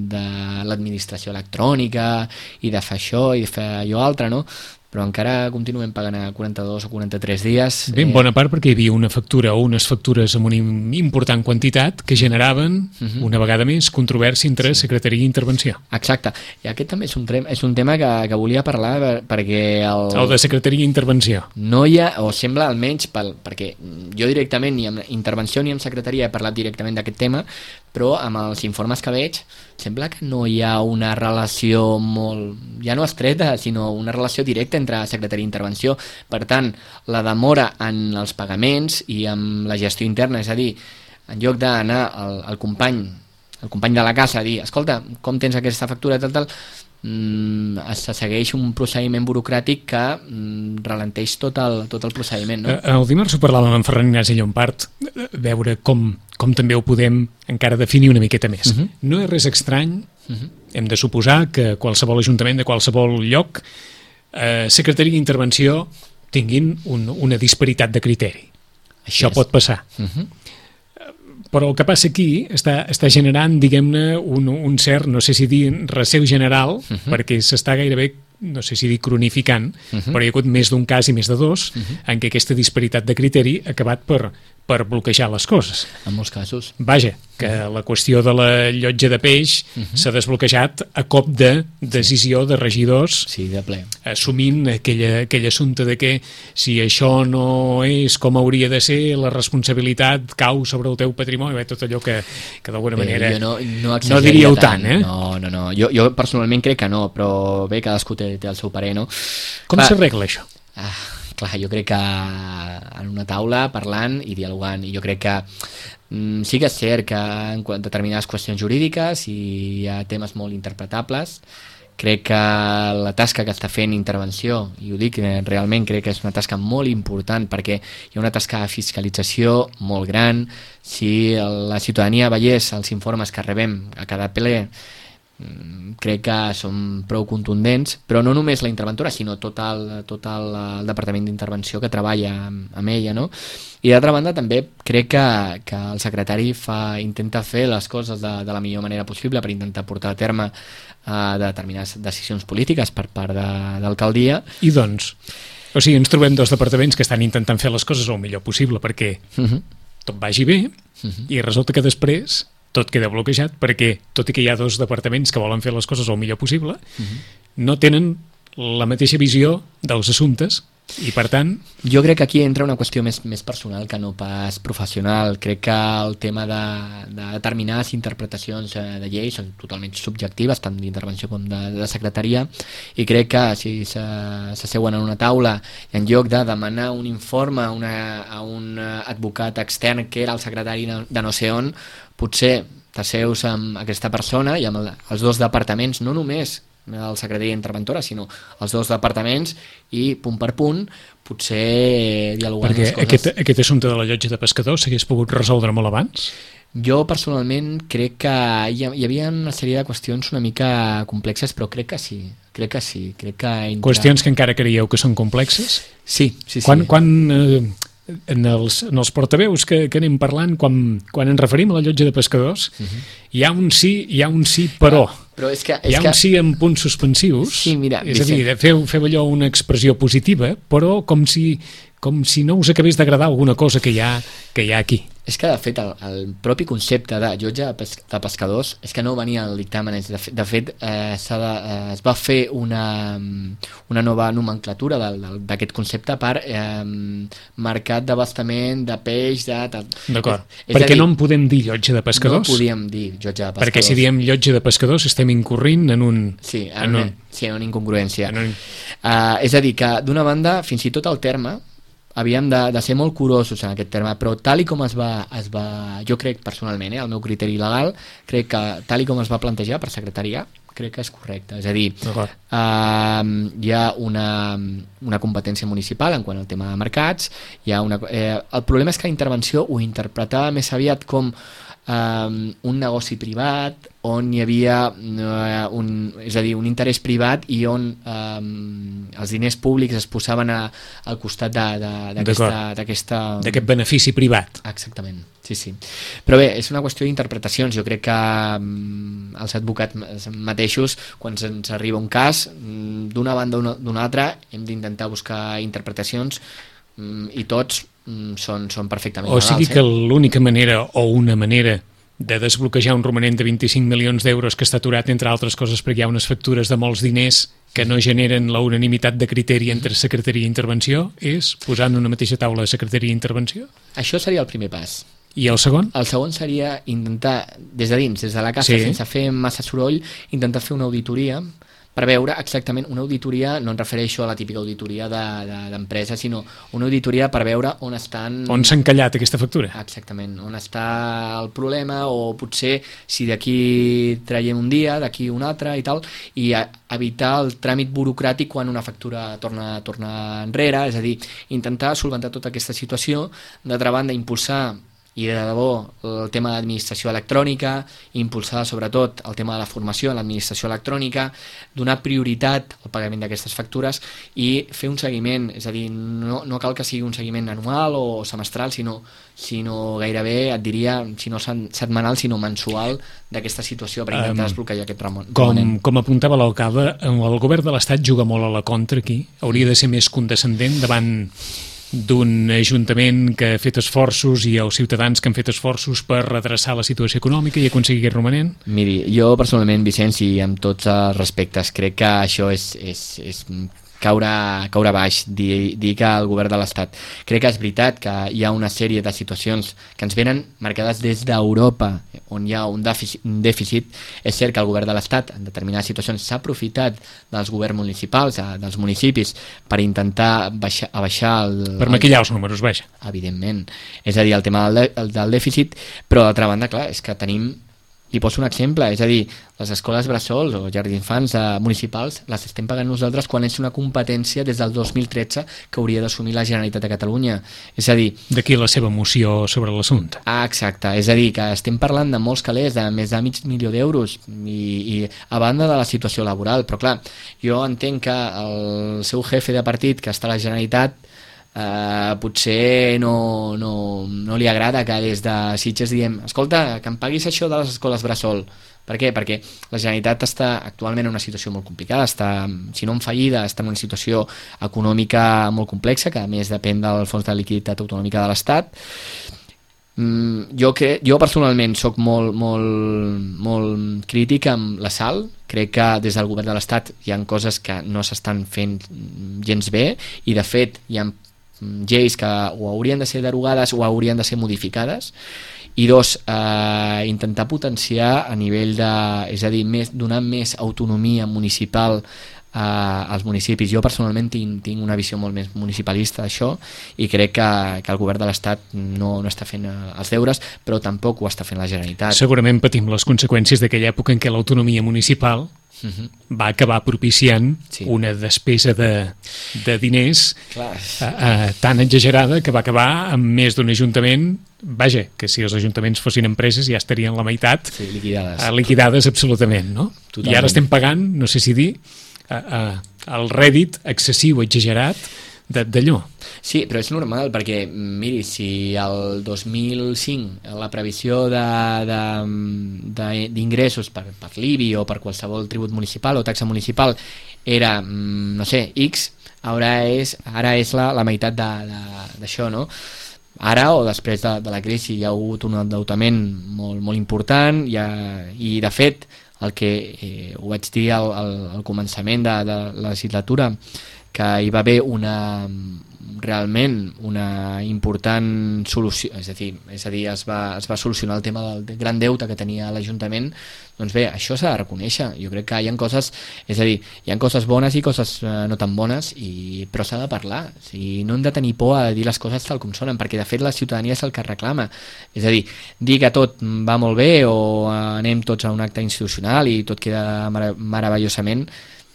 de l'administració electrònica i de fer això i de fer allò altre, no? Però encara continuem pagant a quaranta-dos o quaranta-tres dies. Ben bona part perquè hi havia una factura o unes factures amb una important quantitat que generaven, uh-huh. una vegada més, controvèrsia entre sí. Secretaria i Intervenció. Exacte. I aquest també és un, trem, és un tema que, que volia parlar perquè... El, el de Secretaria i Intervenció. No hi ha, o sembla almenys, pel, perquè jo directament ni amb Intervenció ni amb Secretaria he parlat directament d'aquest tema, però amb els informes que veig sembla que no hi ha una relació molt, ja no estreta, sinó una relació directa entre Secretaria i Intervenció. Per tant, la demora en els pagaments i amb la gestió interna, és a dir, en lloc d'anar al, al company el company de la casa a dir, escolta, com tens aquesta factura, tal, tal, mm, se segueix un procediment burocràtic que mm, ralenteix tot el, tot el procediment, no? El dimarts ho parlàvem amb Ferran Ignasi Llompart, veure com, com també ho podem encara definir una miqueta més. Uh-huh. No és res estrany, uh-huh. hem de suposar que qualsevol ajuntament de qualsevol lloc, eh, Secretaria d'Intervenció tinguin un, una disparitat de criteri. Així Això és. Pot passar. Uh-huh. Però el que passa aquí està, està generant, diguem-ne, un, un cert, no sé si dir receu general, uh-huh. perquè s'està gairebé, no sé si dir cronificant, uh-huh. però hi ha hagut més d'un cas i més de dos, uh-huh. en què aquesta disparitat de criteri ha acabat per, per bloquejar les coses. En molts casos. Vaja, que la qüestió de la llotja de peix uh -huh. s'ha desbloquejat a cop de decisió de regidors, sí, de ple, assumint aquella, aquell assumpte de que si això no és com hauria de ser, la responsabilitat cau sobre el teu patrimoni, bé, tot allò que, que d'alguna manera jo no, no, no diríeu tant, eh? No, no, no. Jo, jo personalment crec que no, però bé, cadascú té, té el seu parer, no? Com s'arregla això? Ah, clar, jo crec que en una taula parlant i dialogant, i jo crec que mm, sí que és cert que en determinades qüestions jurídiques i hi ha temes molt interpretables. Crec que la tasca que està fent Intervenció, i ho dic realment, crec que és una tasca molt important perquè hi ha una tasca de fiscalització molt gran. Si la ciutadania veiés els informes que rebem a cada ple, crec que són prou contundents, però no només la interventora, sinó tot el, tot el, el Departament d'Intervenció que treballa amb, amb ella, no? I d'altra banda també crec que, que el secretari fa, intenta fer les coses de, de la millor manera possible per intentar portar a terme uh, determinades decisions polítiques per part de, d'alcaldia. I doncs, o sigui, ens trobem dos departaments que estan intentant fer les coses el millor possible perquè uh-huh. tot vagi bé uh-huh. i resulta que després tot queda bloquejat perquè, tot i que hi ha dos departaments que volen fer les coses el millor possible, uh-huh. no tenen la mateixa visió dels assumptes i, per tant... Jo crec que aquí entra una qüestió més, més personal que no pas professional. Crec que el tema de, de determinades interpretacions de lleis són totalment subjectives, tant d'intervenció com de, de secretaria, i crec que si s'asseuen en una taula i en lloc de demanar un informe una, a un advocat extern que era el secretari de no sé on, potser t'asseus amb aquesta persona i amb el, els dos departaments, no només el secretari d'interventora, sinó els dos departaments, i punt per punt potser dialogant perquè les coses. Aquest, aquest assumpte de la llotja de pescadors s'hagués pogut resoldre molt abans? Jo personalment crec que hi, hi havia una sèrie de qüestions una mica complexes, però crec que sí, crec que sí. Crec que entra... Qüestions que encara creieu que són complexes? Sí, sí, sí. Quan, quan eh, en, els, en els portaveus que, que anem parlant, quan, quan ens referim a la llotja de pescadors, uh-huh. hi ha un sí, hi ha un sí, però... Ah. Però és que, és hi ha un que... sí amb punts suspensius, sí, mira, és a dir, feu, feu allò una expressió positiva, però com si, com si no us acabés d'agradar alguna cosa que hi ha, que hi ha aquí. És que, de fet, el, el propi concepte de llotja de, pes de pescadors és que no venia al dictamen. De, de fet, eh, de, eh, es va fer una, una nova nomenclatura d'aquest concepte per eh, mercat d'abastament de peix... D'acord, perquè dir, no en podem dir llotja de pescadors? No podíem dir llotja de pescadors. Perquè si diem llotja de pescadors estem incorrint en un... Sí, en, en un... sí, en una incongruència. En un... uh, és a dir, que d'una banda, fins i tot el terme, havíem de, de ser molt curosos en aquest terme, però tal i com es va, es va jo crec personalment, eh, el meu criteri legal, crec que tal i com es va plantejar per secretaria, crec que és correcte. És a dir, uh, hi ha una, una competència municipal en quant al tema de mercats, hi ha una, eh, el problema és que la intervenció ho interpretava més aviat com um, un negoci privat on hi havia uh, un, és a dir, un interès privat i on um, els diners públics es posaven a, al costat d'aquest benefici privat. Exactament, sí, sí. Però bé, és una qüestió d'interpretacions. Jo crec que um, els advocats mateixos, quan ens arriba un cas, um, d'una banda o d'una altra, hem d'intentar buscar interpretacions um, i tots um, són, són perfectament legals. O sigui que eh? l'única manera o una manera de desbloquejar un romanent de vint-i-cinc milions d'euros que està aturat, entre altres coses, perquè hi ha unes factures de molts diners que no generen la unanimitat de criteri entre secretaria i intervenció, és posar en una mateixa taula de secretaria i intervenció? Això seria el primer pas. I el segon? El segon seria intentar, des de dins, des de la casa, sí. sense fer massa soroll, intentar fer una auditoria per veure exactament una auditoria, no em refereixo a la típica auditoria d'empresa, de, de, sinó una auditoria per veure on estan... On s'ha encallat aquesta factura. Exactament, on està el problema, o potser si d'aquí traiem un dia, d'aquí un altre i tal, i a, evitar el tràmit burocràtic quan una factura torna, torna enrere, és a dir, intentar solventar tota aquesta situació, d'altra banda impulsar i de debò el tema de l'administració electrònica, impulsar sobretot el tema de la formació en l'administració electrònica, donar prioritat al pagament d'aquestes factures i fer un seguiment, és a dir, no, no cal que sigui un seguiment anual o semestral, sinó, sinó gairebé, et diria, si no setmanal, sinó mensual d'aquesta situació per intentar um, desbloquejar aquest romanent. Com, com apuntava l'alcalde, el govern de l'Estat juga molt a la contra aquí, hauria de ser més condescendent davant d'un ajuntament que ha fet esforços i els ciutadans que han fet esforços per redreçar la situació econòmica i aconseguir aquest romanent? Miri, jo personalment, Vicenç, i amb tots els respectes, crec que això és, és, és caure, caure baix, dir, dir que el govern de l'Estat. Crec que és veritat que hi ha una sèrie de situacions que ens venen marcades des d'Europa, on hi ha un dèficit, un dèficit. És cert que el govern de l'Estat en determinades situacions s'ha aprofitat dels governs municipals, dels municipis, per intentar baixar, abaixar el... Per maquillar els números, vaja. Evidentment. És a dir, el tema del, del dèficit, però d'altra banda, clar, és que tenim... I poso un exemple, és a dir, les escoles bressols o jardins d'infants eh, municipals les estem pagant nosaltres quan és una competència des del dos mil tretze que hauria d'assumir la Generalitat de Catalunya. És a dir... D'aquí la seva moció sobre l'assumpte. Ah, exacte. És a dir, que estem parlant de molts calés, de més de mig milió d'euros, i, i a banda de la situació laboral. Però clar, jo entenc que el seu jefe de partit, que està a la Generalitat, Uh, potser no, no, no li agrada que des de Sitges diem escolta, que em paguis això de les escoles bressol. Per què? Perquè la Generalitat està actualment en una situació molt complicada, està, si no en fallida, està en una situació econòmica molt complexa, que a més depèn del Fons de Liquiditat Autonòmica de l'Estat. Mm, jo, cre jo personalment sóc molt, molt, molt crític amb la sal. Crec que des del govern de l'Estat hi ha coses que no s'estan fent gens bé, i de fet hi ha lleis que o haurien de ser derogades o haurien de ser modificades. I dos, eh, intentar potenciar a nivell de, és a dir, més, donar més autonomia municipal eh, als municipis. Jo personalment tinc, tinc una visió molt més municipalista d'això, i crec que, que el govern de l'Estat no, no està fent els deures, però tampoc ho està fent la Generalitat. Segurament patim les conseqüències d'aquella època en què l'autonomia municipal Uh -huh. va acabar propiciant sí. una despesa de, de diners uh, uh, tan exagerada que va acabar amb més d'un ajuntament, vaja, que si els ajuntaments fossin empreses ja estarien la meitat sí, liquidades. Uh, liquidades absolutament, no? Totalment. I ara estem pagant, no sé si dir, uh, uh, el rèdit excessiu, exagerat d'allò. Sí, però és normal, perquè miri, si el dos mil cinc la previsió d'ingressos per, per l'I B I o per qualsevol tribut municipal o taxa municipal era, no sé, X, ara és, ara és la, la meitat d'això, no? Ara o després de, de la crisi hi ha hagut un endeutament molt, molt important, ha, i de fet el que eh, ho vaig dir al, al, al començament de, de la legislatura, que hi va haver una realment una important solució, és a dir, és a dir es, va, es va solucionar el tema del gran deute que tenia l'Ajuntament. Doncs bé, això s'ha de reconèixer. Jo crec que hi ha coses, és a dir, hi ha coses bones i coses eh, no tan bones, i, però s'ha de parlar. O sigui, no hem de tenir por a dir les coses tal com sonen, perquè de fet la ciutadania és el que reclama. És a dir, dir que tot va molt bé o anem tots a un acte institucional i tot queda mar meravellosament,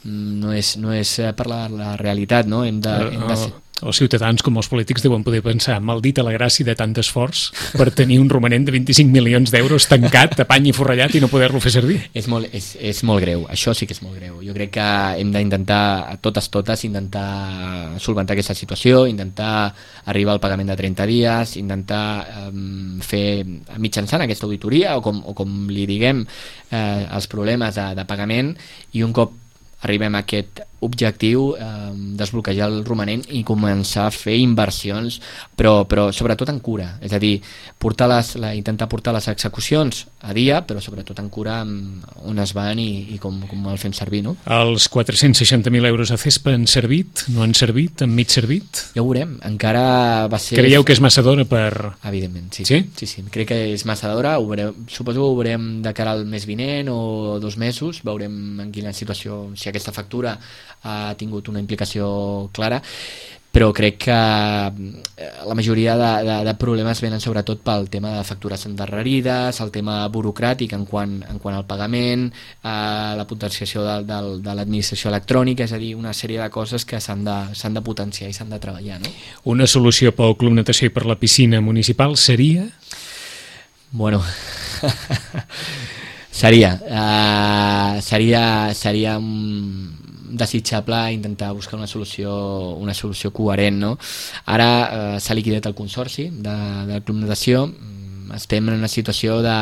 no és, no és per la, la realitat, no? Hem de, hem de ser... Els ciutadans, com els polítics, deuen poder pensar maldita la gràcia de tant esforç per tenir un romanent de vint-i-cinc milions d'euros tancat, a pany i forrellat, i no poder-lo fer servir. És molt, és, és molt greu, això sí que és molt greu. Jo crec que hem d'intentar, a totes totes, intentar solventar aquesta situació, intentar arribar al pagament de trenta dies, intentar um, fer mitjançant aquesta auditoria, o com, o com li diguem, eh, els problemes de, de pagament, i un cop arribem a aquest objectiu, eh, desbloquejar el romanent i començar a fer inversions, però, però sobretot en cura, és a dir, portar les, la, intentar portar les execucions a dia, però sobretot en cura on es van i, i com, com el fem servir, no? Els quatre-cents seixanta mil euros a CESPA han servit? No han servit? Han mig servit? Ja ho veurem, encara va ser... Creieu que és massa d'hora per... Evidentment, sí. Sí? Sí, sí, crec que és massa d'hora, suposo que ho veurem de cara al mes vinent o dos mesos, veurem en quina situació, si aquesta factura ha tingut una implicació clara, però crec que la majoria de, de, de problemes venen sobretot pel tema de factures endarrerides, el tema burocràtic en quant, en quant al pagament, eh, la potenciació de, de, de l'administració electrònica, és a dir, una sèrie de coses que s'han de, s'han de potenciar i s'han de treballar, no? Una solució pel Club Natació i per la piscina municipal seria? Bueno... seria uh, seria seria um, desitjable intentar buscar una solució una solució coherent, no? Ara uh, s'ha liquidat el consorci de, del Club Natació, estem en una situació de...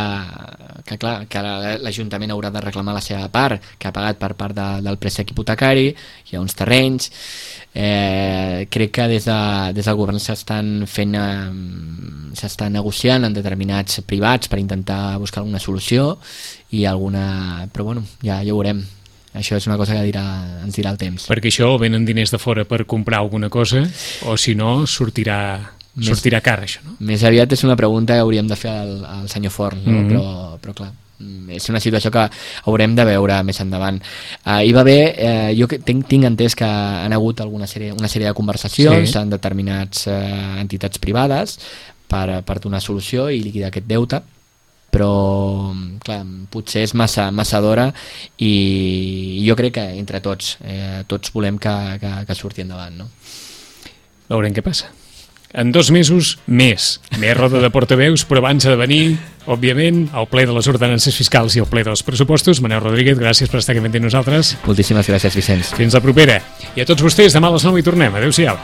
que clar, que l'Ajuntament haurà de reclamar la seva part, que ha pagat per part de, del préstec hipotecari, hi ha uns terrenys, eh, crec que des, de, des del govern s'estan fent, eh, s'està negociant en determinats privats per intentar buscar alguna solució i alguna... però bueno, ja, ja ho veurem. Això és una cosa que dirà, ens dirà el temps. Perquè això o venen diners de fora per comprar alguna cosa o si no sortirà, més, sortirà car això, no? Més aviat és una pregunta que hauríem de fer al, al senyor Forn, no? mm-hmm. però, però clar, és una situació que haurem de veure més endavant. Uh, hi va haver, uh, jo tinc, tinc entès que han hagut alguna sèrie, una sèrie de conversacions sí. en determinats uh, entitats privades per, per donar solució i liquidar aquest deute, però clar, potser és massa, massa d'hora i jo crec que entre tots eh, tots volem que, que, que surti endavant, no? Veurem què passa. En dos mesos, més. Més roda de portaveus, però abans ha de venir, òbviament, el ple de les ordenances fiscals i el ple dels pressupostos. Manel Rodríguez, gràcies per estar aquí amb nosaltres. Moltíssimes gràcies, Vicenç. Fins la propera. I a tots vostès, demà a les nou hi tornem. Adéu-siau.